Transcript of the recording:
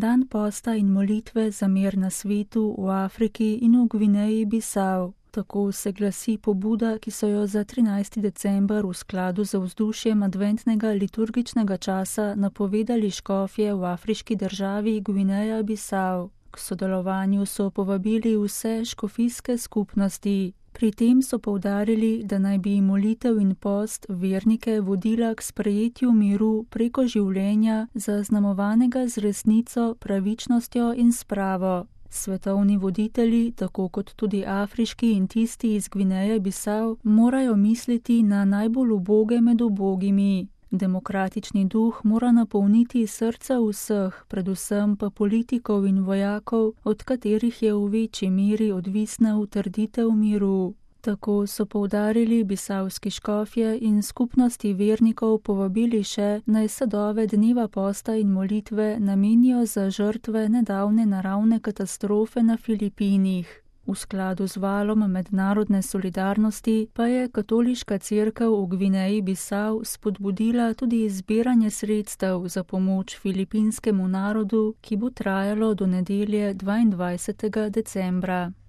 dan posta in molitve za mir na svetu v Afriki in v Gvineji Bisau. Tako se glasi pobuda, ki so jo za 13. december v skladu z vzdušjem adventnega liturgičnega časa napovedali škofje v afriški državi Gvineja Bisau. K sodelovanju so povabili vse škofijske skupnosti. Pri tem so poudarili, da naj bi molitev in post vernike vodila k sprejetju miru preko življenja, zaznamovanega z resnico, pravičnostjo in spravo. Svetovni voditelji, tako kot tudi afriški in tisti iz Gvineje Bisau, morajo misliti na najbolj uboge med ubogimi. Demokratični duh mora napolniti srca vseh, predvsem pa politikov in vojakov, od katerih je v večji meri odvisna utrditev miru. Tako so poudarili bisavski škofje in skupnosti vernikov povabili še, naj sadove dneva posta in molitve namenijo za žrtve nedavne naravne katastrofe na Filipinih. V skladu z valom mednarodne solidarnosti pa je katoliška cerkev v Gvineji Bisau spodbudila tudi zbiranje sredstev za pomoč filipinskemu narodu, ki bo trajalo do nedelje 22. decembra.